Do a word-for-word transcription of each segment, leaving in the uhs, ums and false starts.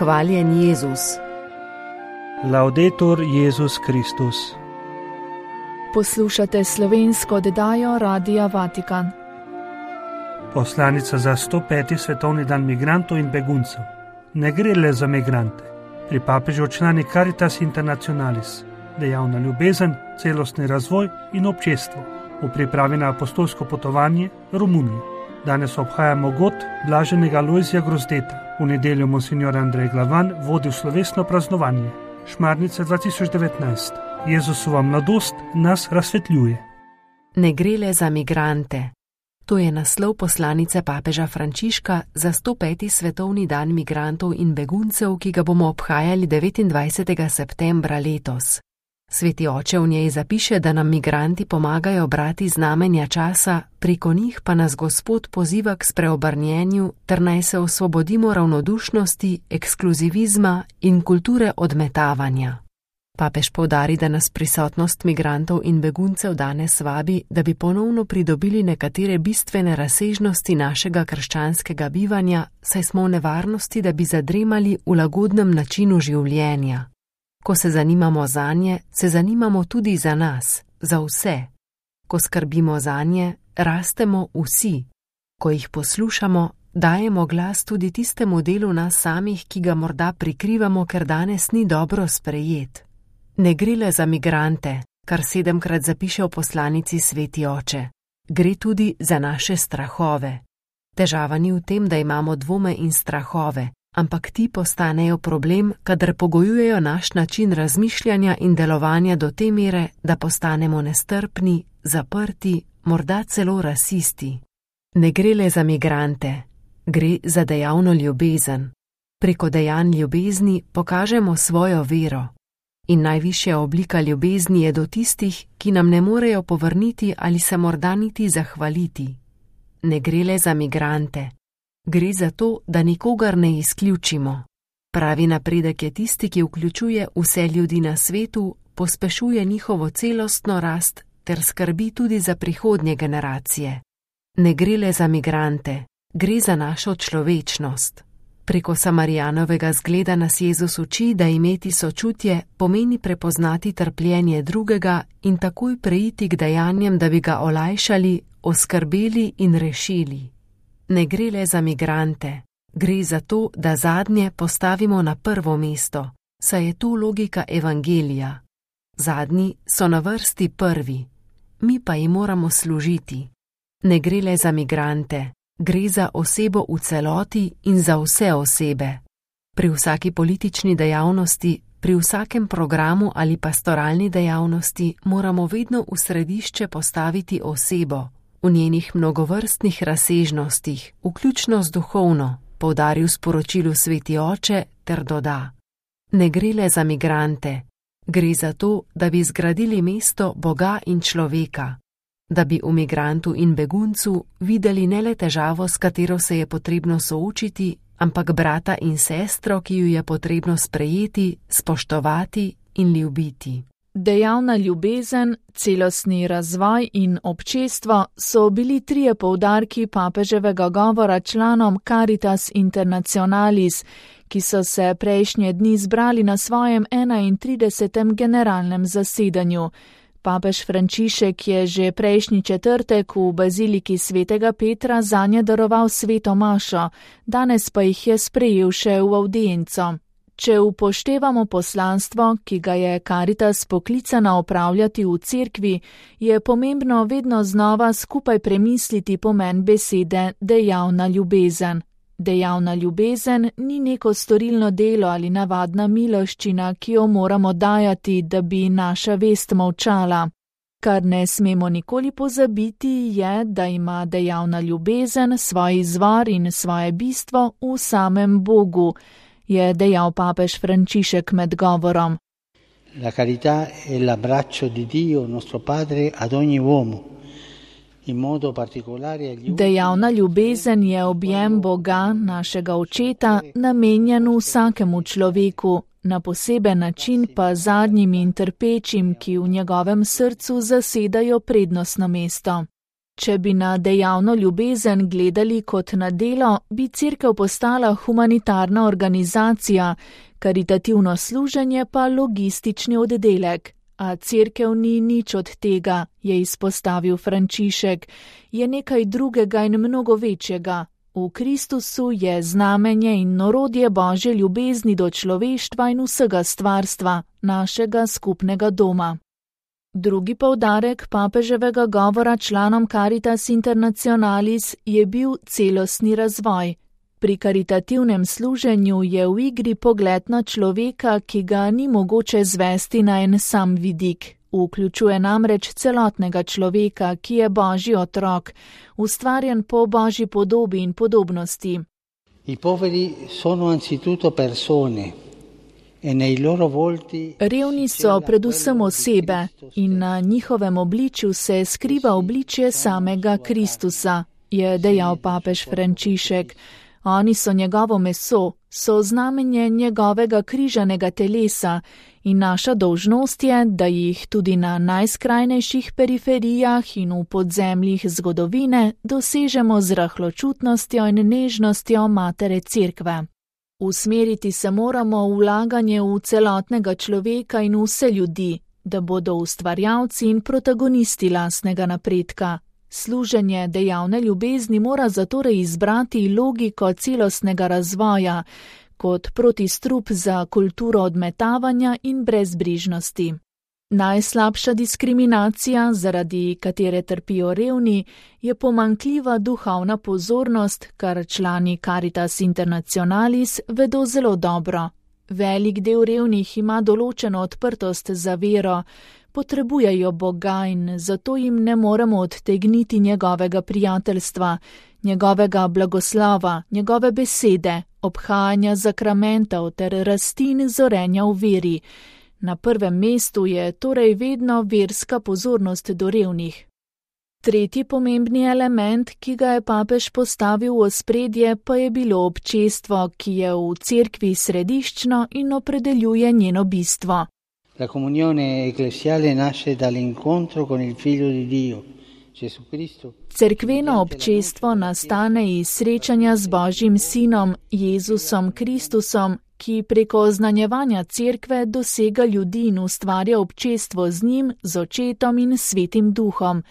Hvaljen Jezus. Laudetur Jezus Kristus. Poslušate slovensko oddajo Radia Vatikan. Poslanica za sto peti svetovni dan migrantov in beguncev. Ne gre le za migrante. Pri papežu člani Caritas Internationalis, dejavna ljubezen, celostni razvoj in občestvo v pripravi na apostolsko potovanje Romunije. Danes obhajamo god blaženega Lojzija Grozdeta. V nedeljo monsignor Andrej Glavan vodi v slovesno praznovanje. Šmarnica dva tisoč devetnajst. Jezusova mladost nas razsvetljuje. Ne gre le za migrante. To je naslov poslanice papeža Frančiška za sto peti svetovni dan migrantov in beguncev, ki ga bomo obhajali devetindvajsetega septembra letos. Sveti oče v njej zapiše, da nam migranti pomagajo brati znamenja časa, preko njih pa nas Gospod poziva k spreobrnjenju, ter naj se osvobodimo ravnodušnosti, ekskluzivizma in kulture odmetavanja. Papež poudari, da nas prisotnost migrantov in beguncev danes vabi, da bi ponovno pridobili nekatere bistvene razsežnosti našega krščanskega bivanja, saj smo v nevarnosti, da bi zadremali v lagodnem načinu življenja. Ko se zanimamo zanje, se zanimamo tudi za nas, za vse. Ko skrbimo zanje, rastemo vsi. Ko jih poslušamo, dajemo glas tudi tistemu delu nas samih, ki ga morda prikrivamo, ker danes ni dobro sprejet. Ne gre le za migrante, kar sedemkrat zapiše v poslanici Sveti oče. Gre tudi za naše strahove. Težava ni v tem, da imamo dvome in strahove, ampak ti postanejo problem, kadar pogojujejo naš način razmišljanja in delovanja do te mere, da postanemo nestrpni, zaprti, morda celo rasisti. Ne gre le za migrante, gre za dejavno ljubezen. Preko dejanj ljubezni pokažemo svojo vero. In najvišja oblika ljubezni je do tistih, ki nam ne morejo povrniti ali se morda niti zahvaliti. Ne gre le za migrante. Gre za to, da nikogar ne izključimo. Pravi napredek je tisti, ki vključuje vse ljudi na svetu, pospešuje njihovo celostno rast ter skrbi tudi za prihodnje generacije. Ne gre le za migrante, gre za našo človečnost. Preko Samarijanovega zgleda nas Jezus uči, da imeti sočutje pomeni prepoznati trpljenje drugega in takoj preiti k dejanjem, da bi ga olajšali, oskrbeli in rešili. Ne gre le za migrante, gre za to, da zadnje postavimo na prvo mesto, saj je tu logika evangelija. Zadnji so na vrsti prvi, mi pa jim moramo služiti. Ne gre le za migrante, gre za osebo v celoti in za vse osebe. Pri vsaki politični dejavnosti, pri vsakem programu ali pastoralni dejavnosti moramo vedno v središče postaviti osebo, v njenih mnogovrstnih razsežnostih, vključno z duhovno, poudaril v sporočilu Sveti oče ter doda. Ne gre le za migrante, gre za to, da bi zgradili mesto Boga in človeka, da bi v migrantu in beguncu videli ne le težavo, s katero se je potrebno soočiti, ampak brata in sestro, ki ju je potrebno sprejeti, spoštovati in ljubiti. Dejavna ljubezen, celostni razvoj in občestvo so bili trije poudarki papeževega govora članom Caritas Internationalis, ki so se prejšnje dni zbrali na svojem enaintridesetem generalnem zasedanju. Papež Frančišek je že prejšnji četrtek v baziliki svetega Petra zanje daroval sveto mašo, danes pa jih je sprejel še v avdienco. Če upoštevamo poslanstvo, ki ga je Caritas poklicana opravljati v cerkvi, je pomembno vedno znova skupaj premisliti pomen besede dejavna ljubezen. Dejavna ljubezen ni neko storilno delo ali navadna miloščina, ki jo moramo dajati, da bi naša vest molčala. Kar ne smemo nikoli pozabiti je, da ima dejavna ljubezen svoj izvor in svoje bistvo v samem Bogu, je dejal papež Frančišek med govorom. La carità è l'abbraccio di Dio, nostro Padre, ad ogni uomo. Dejavna ljubezen je objem Boga, našega Očeta, namenjen vsakemu človeku, na poseben način pa zadnjim in trpečim, ki v njegovem srcu zasedajo prednostno mesto. Če bi na dejavno ljubezen gledali kot na delo, bi cerkev postala humanitarna organizacija, karitativno služenje pa logistični oddelek. A cerkev ni nič od tega, je izpostavil Frančišek, je nekaj drugega in mnogo večjega. V Kristusu je znamenje in orodje Božje ljubezni do človeštva in vsega stvarstva, našega skupnega doma. Drugi poudarek papeževega govora članom Caritas Internationalis je bil celostni razvoj. Pri karitativnem služenju je v igri pogled na človeka, ki ga ni mogoče zvesti na en sam vidik. Vključuje namreč celotnega človeka, ki je Božji otrok, ustvarjen po Božji podobi in podobnosti. I poveri sono anzitutto persone. Revni so predvsem osebe in na njihovem obličju se skriva obličje samega Kristusa, je dejal papež Frančišek. Oni so njegovo meso, so znamenje njegovega križanega telesa in naša dolžnost je, da jih tudi na najskrajnejših periferijah in v podzemljih zgodovine dosežemo z rahločutnostjo in nežnostjo Matere Cerkve. Usmeriti se moramo v vlaganje v celotnega človeka in vse ljudi, da bodo ustvarjalci in protagonisti lastnega napredka. Služenje dejavne ljubezni mora zatorej izbrati logiko celostnega razvoja, kot protistrup za kulturo odmetavanja in brezbrižnosti. Najslabša diskriminacija, zaradi katere trpijo revni, je pomanjkljiva duhovna pozornost, kar člani Caritas Internationalis vedo zelo dobro. Velik del revnih ima določeno odprtost za vero, potrebujejo Boga in zato jim ne moremo odtegniti njegovega prijateljstva, njegovega blagoslova, njegove besede, obhajanja zakramentov ter rasti in zorenja v veri. Na prvem mestu je torej vedno verska pozornost do revnih. Tretji pomembni element, ki ga je papež postavil v ospredje, pa je bilo občestvo, ki je v cerkvi središčno in opredeljuje njeno bistvo. La comunione ecclesiale nasce dall'incontro con il Figlio di Dio, Gesù Cristo. Cerkveno občestvo nastane iz srečanja z Božjim sinom, Jezusom Kristusom, ki preko oznanjevanja cerkve dosega ljudi in ustvarja občestvo z njim, z očetom in svetim duhom,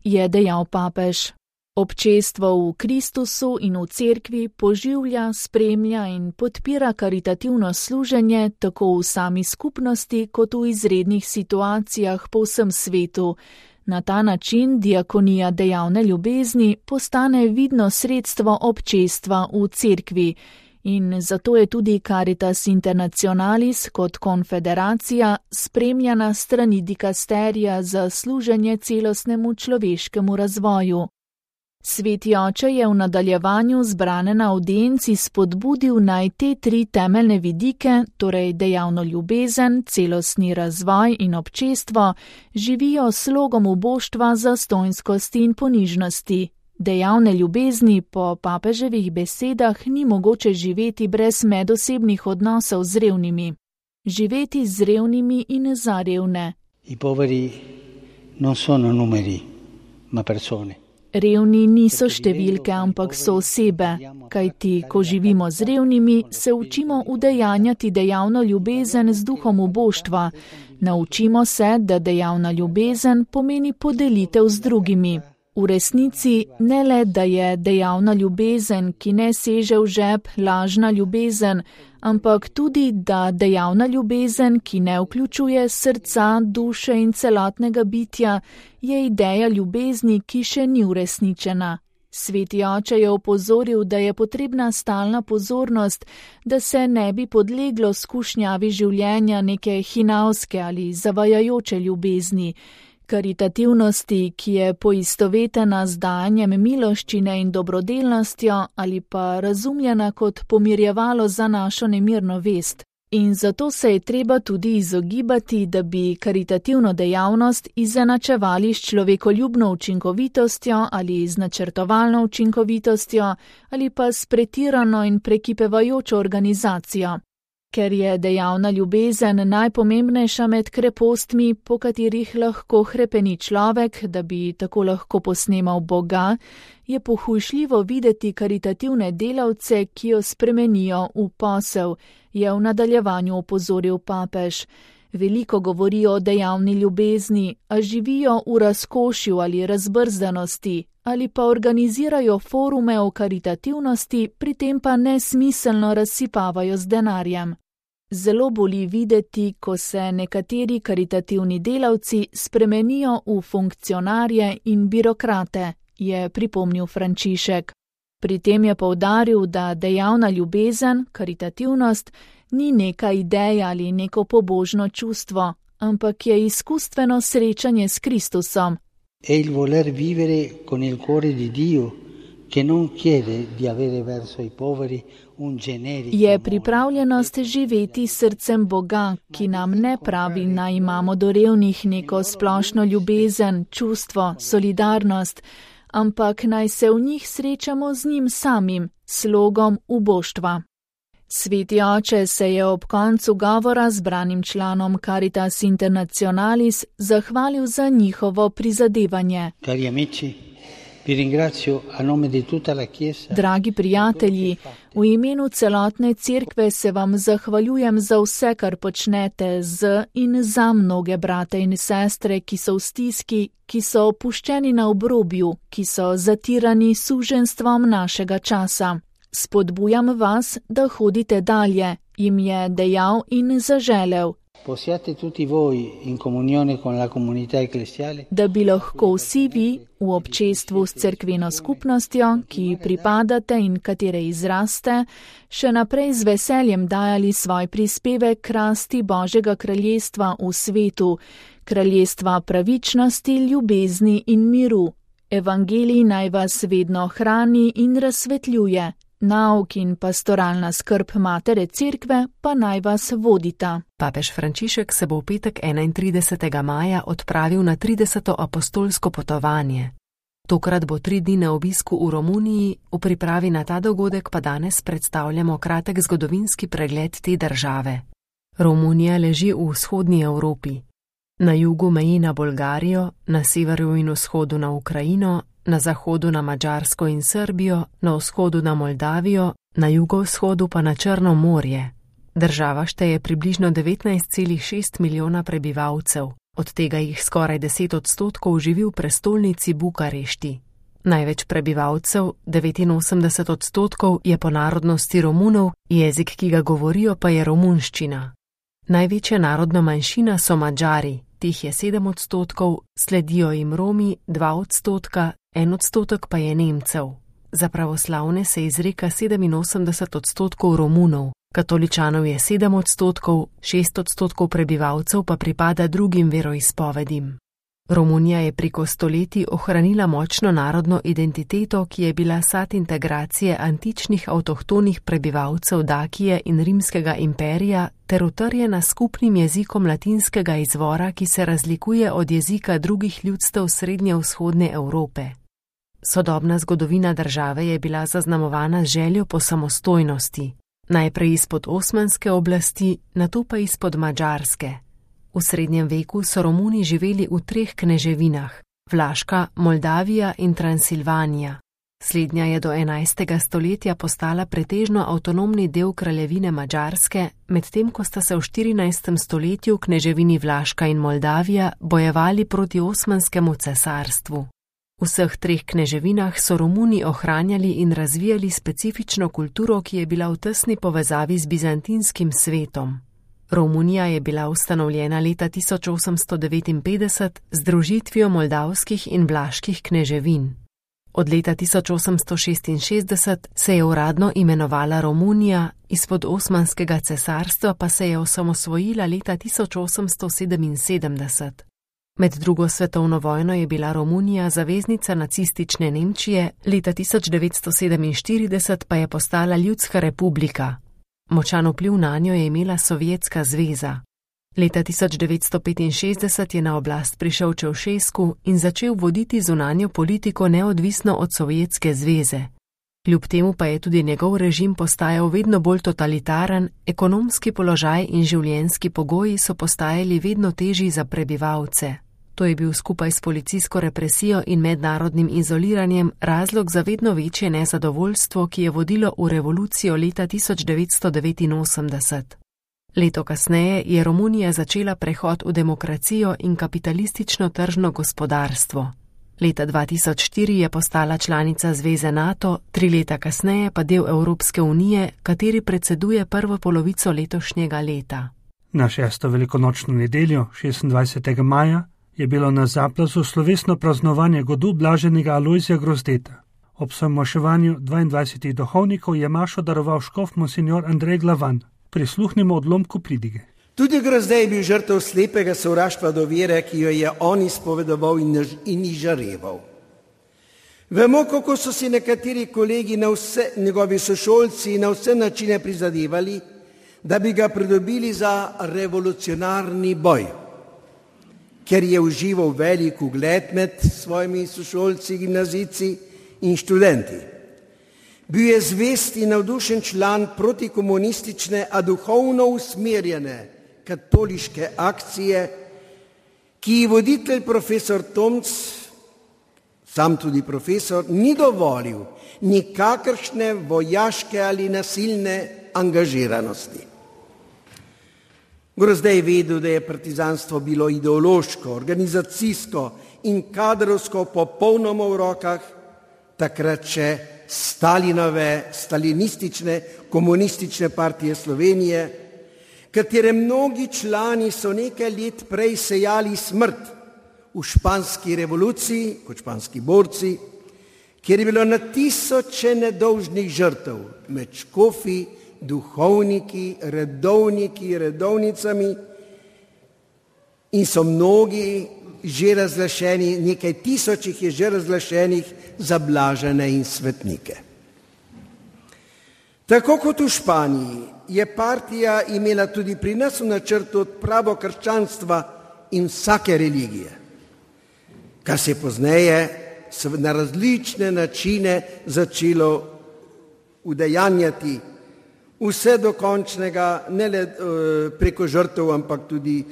je dejal papež. Občestvo v Kristusu in v cerkvi poživlja, spremlja in podpira karitativno služenje tako v sami skupnosti kot v izrednih situacijah po vsem svetu. Na ta način diakonija dejavne ljubezni postane vidno sredstvo občestva v cerkvi. In zato je tudi Caritas Internationalis kot konfederacija spremljana strani dikasterija za služenje celostnemu človeškemu razvoju. Sveti oče je v nadaljevanju zbrane na audienci spodbudil naj te tri temeljne vidike, torej dejavno ljubezen, celostni razvoj in občestvo, živijo s slogom uboštva, zastonjskosti in ponižnosti. Dejavne ljubezni po papeževih besedah ni mogoče živeti brez medosebnih odnosov z revnimi. Živeti z revnimi in za revne. I poveri non sono numeri, ma persone. Revni niso številke, ampak so osebe, kajti, ko živimo z revnimi, se učimo udejanjati dejavno ljubezen z duhom uboštva. Naučimo se, da dejavna ljubezen pomeni podelitev z drugimi. V resnici ne le, da je dejavna ljubezen, ki ne seže v žep, lažna ljubezen, ampak tudi, da dejavna ljubezen, ki ne vključuje srca, duše in celotnega bitja, je ideja ljubezni, ki še ni uresničena. Sveti oče je opozoril, da je potrebna stalna pozornost, da se ne bi podleglo skušnjavi življenja neke hinavske ali zavajajoče ljubezni, karitativnosti, ki je poistovetena z dajanjem miloščine in dobrodelnostjo ali pa razumljena kot pomirjevalo za našo nemirno vest. In zato se je treba tudi izogibati, da bi karitativno dejavnost izenačevali s človekoljubno učinkovitostjo ali z načrtovalno učinkovitostjo ali pa s pretirano in prekipevajočo organizacijo. Ker je dejavna ljubezen najpomembnejša med krepostmi, po katerih lahko hrepeni človek, da bi tako lahko posnemal Boga, je pohujšljivo videti karitativne delavce, ki jo spremenijo v posel, je v nadaljevanju opozoril papež. Veliko govorijo o dejavni ljubezni, a živijo v razkošju ali razbrzdanosti, ali pa organizirajo forume o karitativnosti, pri tem pa nesmiselno razsipavajo z denarjem. Zelo boli videti, ko se nekateri karitativni delavci spremenijo v funkcionarje in birokrate, je pripomnil Frančišek. Pri tem je poudaril, da dejavna ljubezen, karitativnost, ni neka ideja ali neko pobožno čustvo, ampak je izkustveno srečanje s Kristusom. È il voler vivere con il cuore di Dio, che non chiede di avere verso i poveri un generico. Je pripravljenost živeti s srcem Boga, ki nam ne pravi, naj imamo do revnih neko splošno ljubezen, čustvo, solidarnost, ampak naj se v njih srečamo z njim samim, slogom uboštva. Sveti oče se je ob koncu govora zbranim članom Caritas Internationalis zahvalil za njihovo prizadevanje. Cari amici, vi ringrazio a nome di tutta la Chiesa. Dragi prijatelji, v imenu celotne cerkve se vam zahvaljujem za vse, kar počnete z in za mnoge brate in sestre, ki so v stiski, ki so opuščeni na obrobju, ki so zatirani suženstvom našega časa. Spodbujam vas, da hodite dalje, jim je dejal in zaželel. Possiate tutti voi in comunione con la comunità ecclesiale. Da bi lahko vsi vi v občestvu s cerkveno skupnostjo, ki pripadate in katere izraste, še naprej z veseljem dajali svoj prispevek k rasti Božjega kraljestva v svetu, kraljestva pravičnosti, ljubezni in miru. Evangelij naj vas vedno hrani in razsvetljuje. Nauk in pastoralna skrb matere cerkve pa naj vas vodita. Papež Frančišek se bo v petek enaintridesetega maja odpravil na trideseto apostolsko potovanje. Tokrat bo tri dni na obisku v Romuniji, v pripravi na ta dogodek pa danes predstavljamo kratek zgodovinski pregled te države. Romunija leži v vzhodni Evropi. Na jugu meji na Bolgarijo, na severu in vzhodu na Ukrajino, na zahodu na Madžarsko in Srbijo, na vzhodu na Moldavijo, na jugovzhodu pa na Črno morje. Država šteje približno devetnajst celih šest milijona prebivalcev, od tega jih skoraj deset odstotkov živi v prestolnici Bukarešti. Največ prebivalcev, devetinosemdeset odstotkov, je po narodnosti Romunov, jezik, ki ga govorijo, pa je romunščina. Največja narodna manjšina so Madžari, teh je sedem odstotkov, sledijo jim Romi, dva odstotka, en odstotek pa je Nemcev. Za pravoslavne se izreka sedeminosemdeset odstotkov Romunov, katoličanov je sedem odstotkov, šest odstotkov prebivalcev pa pripada drugim veroizpovedim. Romunija je preko stoletij ohranila močno narodno identiteto, ki je bila sad integracije antičnih avtohtonih prebivalcev Dakije in Rimskega imperija ter utrjena skupnim jezikom latinskega izvora, ki se razlikuje od jezika drugih ljudstev srednje-vzhodne Evrope. Sodobna zgodovina države je bila zaznamovana z željo po samostojnosti, najprej izpod osmanske oblasti, nato pa izpod madžarske. V srednjem veku so Romuni živeli v treh kneževinah, Vlaška, Moldavija in Transilvanija. Slednja je do enajstega stoletja postala pretežno avtonomni del kraljevine Madžarske, medtem ko sta se v štirinajstem stoletju kneževini Vlaška in Moldavija bojevali proti Osmanskemu cesarstvu. V vseh treh kneževinah so Romuni ohranjali in razvijali specifično kulturo, ki je bila v tesni povezavi z bizantinskim svetom. Romunija je bila ustanovljena leta tisoč osemsto devetinpetdeset z združitvijo moldavskih in vlaških kneževin. Od leta tisoč osemsto šestinšestdeset se je uradno imenovala Romunija, izpod Osmanskega cesarstva pa se je osamosvojila leta tisoč osemsto sedeminsedemdeset. Med drugo svetovno vojno je bila Romunija zaveznica nacistične Nemčije, leta tisoč devetsto sedeminštirideset pa je postala ljudska republika. Močan vpliv nanjo je imela Sovjetska zveza. Leta tisoč devetsto petinšestdeset je na oblast prišel Čaušesku in začel voditi zunanjo politiko neodvisno od Sovjetske zveze. Kljub temu pa je tudi njegov režim postajal vedno bolj totalitaren, ekonomski položaj in življenjski pogoji so postajali vedno težji za prebivalce. To je bil skupaj s policijsko represijo in mednarodnim izoliranjem razlog za vedno večje nezadovoljstvo, ki je vodilo v revolucijo leta tisoč devetsto devetinosemdeset. Leto kasneje je Romunija začela prehod v demokracijo in kapitalistično tržno gospodarstvo. Leta dva tisoč štiri je postala članica Zveze NATO, tri leta kasneje pa del Evropske unije, kateri predseduje prvo polovico letošnjega leta. Na šesto velikonočno nedeljo, šestindvajsetega maja, je bilo na Zaplazu slovesno praznovanje godu blaženega Alojzija Grozdeta. Ob samoševanju dvaindvajsetih duhovnikov je mašo daroval škof monsignor Andrej Glavan. Prisluhnimo odlomku pridige. Tudi Grozdej je bil žrtev slepega sovraštva do vere, ki jo je on izpovedoval in izžareval. Vemo, kako so si nekateri kolegi, na vse, njegovi sošolci, na vse načine prizadevali, da bi ga pridobili za revolucionarni boj, ker je užival velik ugled med svojimi sošolci, gimnazijci in študenti. Bil je zvest in navdušen član protikomunistične, a duhovno usmerjene katoliške akcije, ki ji voditelj profesor Tomc, sam tudi profesor, ni dovolil nikakršne vojaške ali nasilne angažiranosti. Grozdej je vedel, da je partizanstvo bilo ideološko, organizacijsko in kadrovsko popolnoma v rokah takrat še Stalinove, stalinistične, komunistične partije Slovenije, katere mnogi člani so nekaj let prej sejali smrt v španski revoluciji, kot španski borci, kjer je bilo na tisoče nedolžnih žrtev med škofi, duhovniki, redovniki, redovnicami in so mnogi že razglašeni, nekaj tisočih je že razglašenih za blažene in svetnike. Tako kot v Španiji je partija imela tudi pri nas v načrtu odpravo krščanstva in vsake religije, kar se je pozneje na različne načine začelo udejanjati vse do končnega, ne le preko žrtev, ampak tudi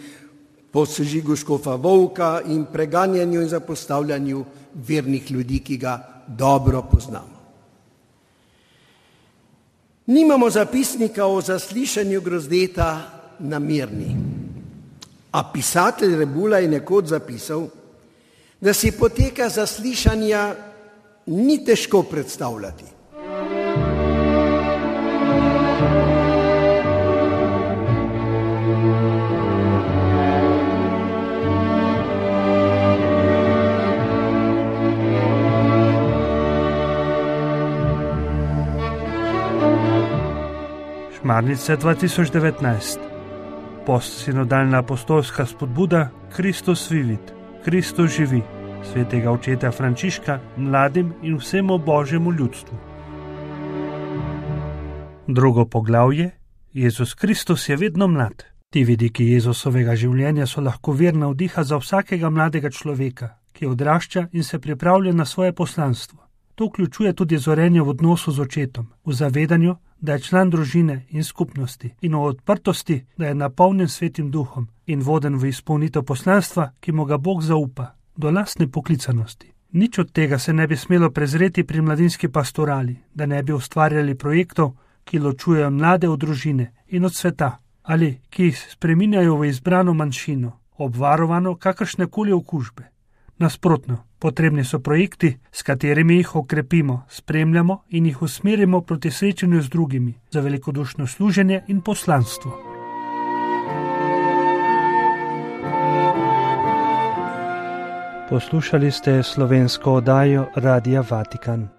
po sežigu škofa Volka in preganjanju in zapostavljanju vernih ljudi, ki ga dobro poznamo. Nimamo zapisnika o zaslišanju Grozdeta na Mirni, a pisatelj Rebula je nekoč zapisal, da si poteka zaslišanja ni težko predstavljati. Šmarnice dva tisoč devetnajst. Postsinodalna apostolska spodbuda Kristus vivit, Kristus živi, svetega očeta Frančiška mladim in vsemu božjemu ljudstvu. Drugo poglavje. Jezus Kristus je vedno mlad. Ti vidiki Jezusovega življenja so lahko vir navdiha za vsakega mladega človeka, ki odrašča in se pripravlja na svoje poslanstvo. To vključuje tudi zorenje v odnosu z očetom, v zavedanju, da je član družine in skupnosti in v odprtosti, da je napolnjen svetim duhom in voden v izpolnitev poslanstva, ki mu ga Bog zaupa, do lastne poklicanosti. Nič od tega se ne bi smelo prezreti pri mladinski pastorali, da ne bi ustvarjali projektov, ki ločujejo mlade od družine in od sveta, ali ki jih spreminjajo v izbrano manjšino, obvarovano kakršnekoli okužbe. Nasprotno, potrebni so projekti, s katerimi jih okrepimo, spremljamo in jih usmerimo proti srečanju z drugimi, za velikodušno služenje in poslanstvo. Poslušali ste slovensko oddajo Radia Vatikan.